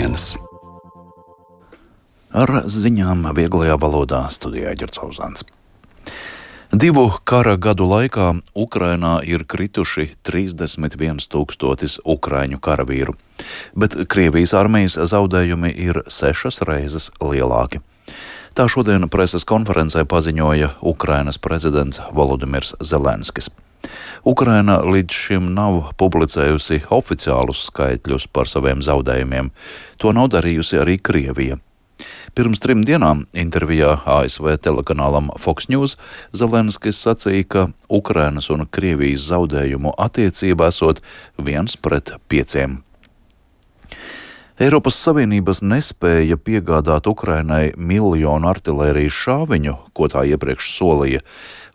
dienas. Ar ziņām vieglajā valodā studijā Ģercauzāns. 2 kara gadu laikā Ukrainā ir krituši 31 000 ukraiņu karavīru, bet Krievijas armijas zaudējumi ir 6 reizes lielāki. Tā šodien preses konferencē paziņoja Ukrainas prezidents Volodimirs Zelenskis. Ukraina līdz šim nav publicējusi oficiālus skaitļus par saviem zaudējumiem. To nav darījusi arī Krievija. Pirms 3 dienām intervijā ASV telekanālam Fox News Zelenskis sacīja, ka Ukrainas un Krievijas zaudējumu attiecība esot 1:5. Eiropas Savienības nespēja piegādāt Ukrainai 1 miljonu artilērijas šāviņu, ko tā iepriekš solīja,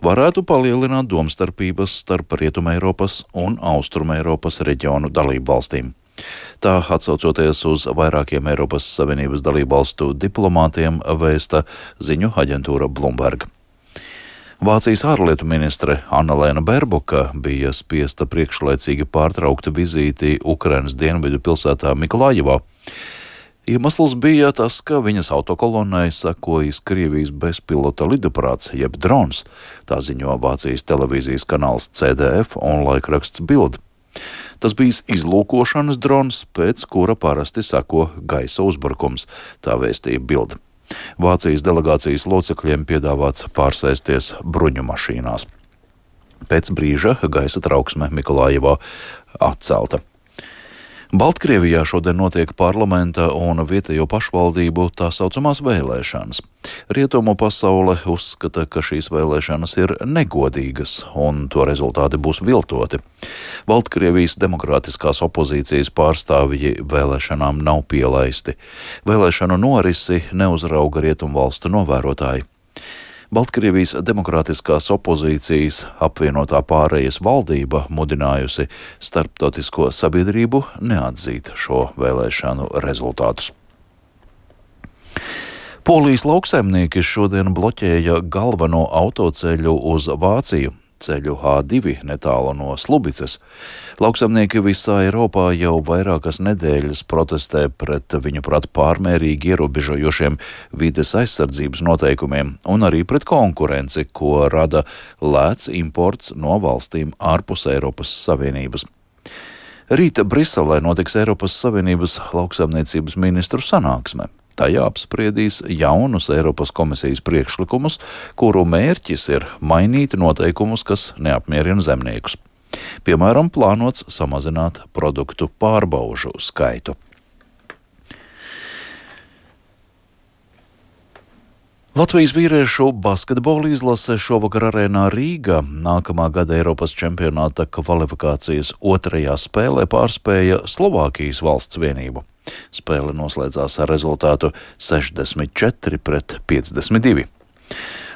varētu palielināt domstarpības starp Rietumeiropas un Austrumeiropas reģionu dalībvalstīm. Tā atsaucoties uz vairākiem Eiropas Savienības dalībvalstu diplomātiem vēsta ziņu aģentūra Bloomberg. Vācijas ārlietu ministre Annalēna Baerboka bija spiesta priekšlaicīgi pārtraukt vizīti Ukrainas dienvidu pilsētā Mikolājevā. Iemesls bija tas, ka viņas autokolonnai sekojas Krievijas bezpilota lidaparāts, jeb drons, tā ziņo Vācijas televīzijas kanāls CDF un laikraksts Bild. Tas bijis izlūkošanas drons, pēc kura parasti seko gaisa uzbrukums, tā vēstīja Bild. Vācijas delegācijas locekļiem piedāvāts pārsēsties bruņu mašīnās. Pēc brīža gaisa trauksme Mikolājevā atcelta. Baltkrievijā šodien notiek parlamenta un vietējo pašvaldību tā saucamās vēlēšanas. Rietumu pasaule uzskata, ka šīs vēlēšanas ir negodīgas un to rezultāti būs viltoti. Baltkrievijas demokrātiskās opozīcijas pārstāvji vēlēšanām nav pielaisti. Vēlēšanu norisi neuzrauga rietumvalstu novērotāji. Baltkrievijas demokrātiskās opozīcijas apvienotā pārējas valdība mudinājusi starptautisko sabiedrību neatzīt šo vēlēšanu rezultātus. Polijas lauksaimnieki šodien bloķēja galveno autoceļu uz Vāciju, ceļu A2 netālu no Slubicas. Lauksaimnieki visā Eiropā jau vairākas nedēļas protestē pret viņuprāt pārmērīgi ierobežojošiem vides aizsardzības noteikumiem un arī pret konkurenci, ko rada lēts imports no valstīm ārpus Eiropas Savienības. Rīt Briselē notiks Eiropas Savienības lauksaimniecības ministru sanāksme. Tajā apspriedīs jaunus Eiropas komisijas priekšlikumus, kuru mērķis ir mainīt noteikumus, kas neapmierina zemniekus. Piemēram, plānots samazināt produktu pārbaužu skaitu. Latvijas vīriešu basketbola izlase šovakar arēnā Rīgā nākamā gada Eiropas čempionāta kvalifikācijas 2. spēlē pārspēja Slovākijas valsts vienību. Spēle noslēdzās ar rezultātu 64-52.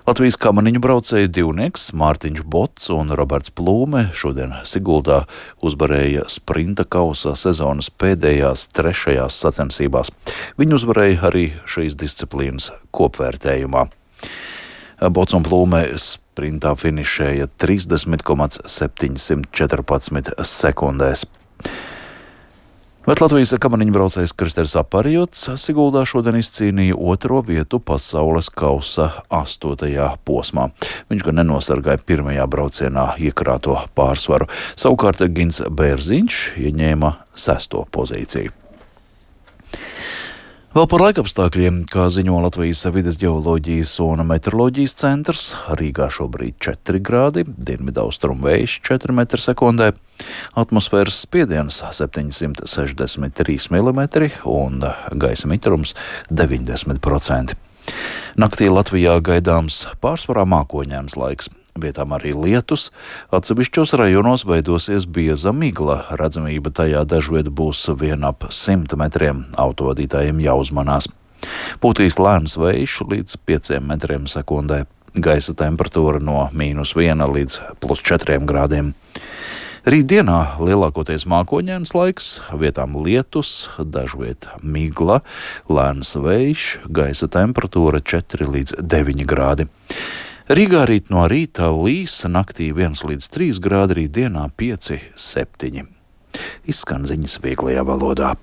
Latvijas kamaniņu braucēju divnieks Mārtiņš Bots un Roberts Plūme šodien Siguldā uzvarēja sprinta kausa sezonas pēdējās 3. sacensībās. Viņi uzvarēja arī šīs disciplīnas kopvērtējumā. Bots un Plūme sprintā finišēja 30,714 sekundēs. Bet Latvijas kamaniņu braucējs Kristers Aparjots Siguldā šodien izcīnīja 2. vietu pasaules kausa 8. posmā. Viņš gan nenosargāja 1. braucienā iekrāto pārsvaru. Savukārt Gins Bērziņš ieņēma 6. pozīciju. Vēl par laikapstākļiem, kā ziņo Latvijas vides ģeoloģijas un meteoroloģijas centrs, Rīgā šobrīd 4 grādi, dienvidaustrumu vējš 4 m/sekundē, atmosfēras spiediens 763 mm un gaisa mitrums 90%. Naktī Latvijā gaidāms pārsvarā mākoņains laiks. Vietām arī lietus, atsevišķos rajonos veidosies bieza migla, redzamība tajā dažviet būs vien ap 100 metriem, autovadītājiem jāuzmanās. Pūtīs lēns vējš līdz 5 m/sekundē, gaisa temperatūra no -1 līdz +4 grādiem. Rītdienā lielākoties mākoņains laiks, vietām lietus, dažviet migla, lēns vējš, gaisa temperatūra 4 līdz 9 grādi. Rīgā rīt no rīta līs, naktī 1 līdz 3 grādi, rītdienā 5, 7. Izskan ziņas vieglajā valodā.